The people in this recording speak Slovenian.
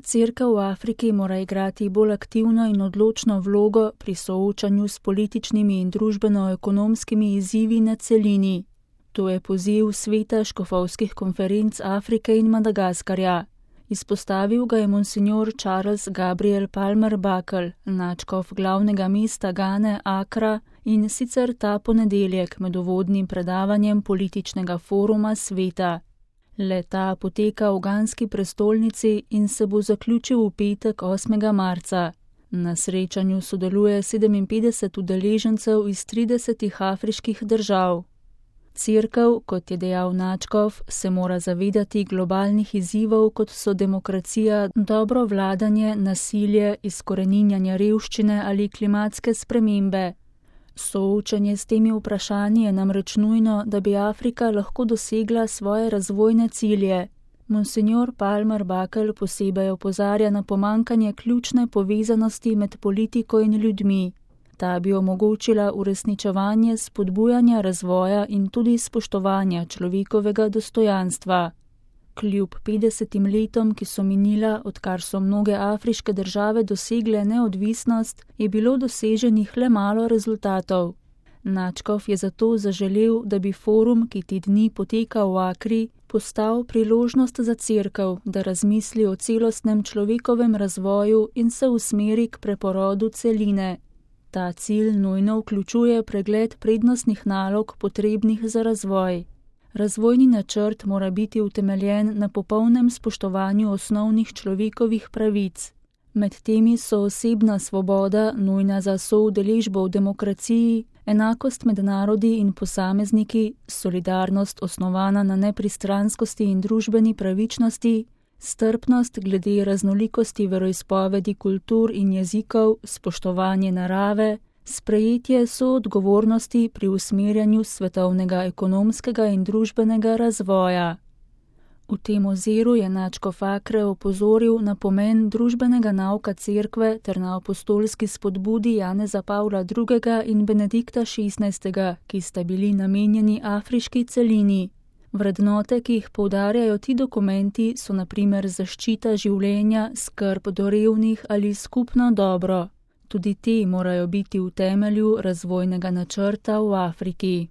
Cerkev v Afriki mora igrati bolj aktivno in odločno vlogo pri soočanju s političnimi in družbeno-ekonomskimi izzivi na celini. To je poziv Sveta škofovskih konferenc Afrike in Madagaskarja. Izpostavil ga je monsignor Charles Gabriel Palmer Buckle, nadškof glavnega mesta Gane Akra, in sicer ta ponedeljek med uvodnim predavanjem političnega foruma sveta. Le-ta poteka v ganski prestolnici in se bo zaključil v petek 8. marca. Na srečanju sodeluje 57 udeležencev iz 30 afriških držav. Cerkev, kot je dejal nadškof, se mora zavedati globalnih izzivov, kot so demokracija, dobro vladanje, nasilje, izkoreninjanje revščine ali klimatske spremembe. Soočanje s temi vprašanji je namreč nujno, da bi Afrika lahko dosegla svoje razvojne cilje. Monsignor Palmer Buckle posebej opozarja na pomanjkanje ključne povezanosti med politiko in ljudmi. Ta bi omogočila uresničevanje spodbujanja razvoja in tudi spoštovanja človekovega dostojanstva. Kljub 50 letom, ki so minila, odkar so mnoge afriške države dosegle neodvisnost, je bilo doseženih le malo rezultatov. Nadškof je zato zaželel, da bi forum, ki te dni poteka v Akri, postal priložnost za cerkev, da razmisli o celostnem človekovem razvoju in se usmeri k preporodu celine. Ta cilj nujno vključuje pregled prednostnih nalog potrebnih za razvoj. Razvojni načrt mora biti utemeljen na popolnem spoštovanju osnovnih človekovih pravic. Med temi so osebna svoboda, nujna za soudeležbo v demokraciji, enakost med narodi in posamezniki, solidarnost osnovana na nepristranskosti in družbeni pravičnosti, strpnost glede raznolikosti veroizpovedi, kultur in jezikov, spoštovanje narave, sprejetje soodgovornosti pri usmerjanju svetovnega ekonomskega in družbenega razvoja. V tem oziru je nadškof Akre opozoril na pomen družbenega nauka cerkve ter na apostolski spodbudi Janeza Pavla II. In Benedikta XVI., ki sta bili namenjeni afriški celini. Vrednote, ki jih poudarjajo ti dokumenti, so na primer zaščita življenja, skrb do revnih ali skupno dobro. Tudi te morajo biti v temelju razvojnega načrta v Afriki.